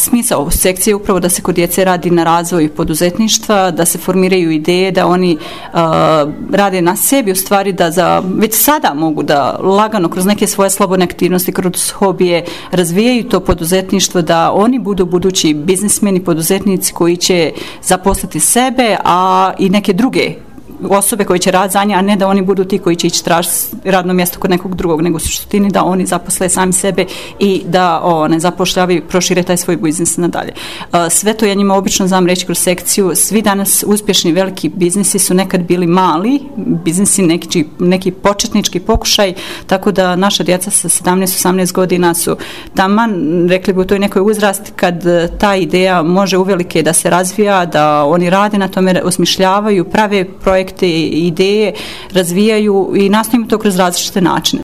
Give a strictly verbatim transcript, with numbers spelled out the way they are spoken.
smisao sekcije je upravo da se kod djece radi na razvoju poduzetništva, da se formiraju ideje, da oni uh, rade na sebi, u stvari da za, već sada mogu da lagano kroz neke svoje slobodne aktivnosti, kroz hobije razvijaju to poduzetništvo, da oni budu budući biznismeni, poduzetnici koji će zaposliti sebe, a i neke druge osobe koji će raditi za nje, a ne da oni budu ti koji će ići tražiti radno mjesto kod nekog drugog, nego u suštini da oni zaposle sami sebe i da o, ne zapošljavaju, prošire taj svoj biznis nadalje. Sve to ja njima obično znam reći kroz sekciju, svi danas uspješni veliki biznisi su nekad bili mali biznisi, neki, neki početnički pokušaj, tako da naša djeca sa sedamnaest osamnaest godina su taman, rekli bi u toj nekoj uzrasti kad ta ideja može uvelike da se razvija, da oni rade na tome, osmišljavaju, prave projekte, ideje, razvijaju i nastavimo to kroz različite načine.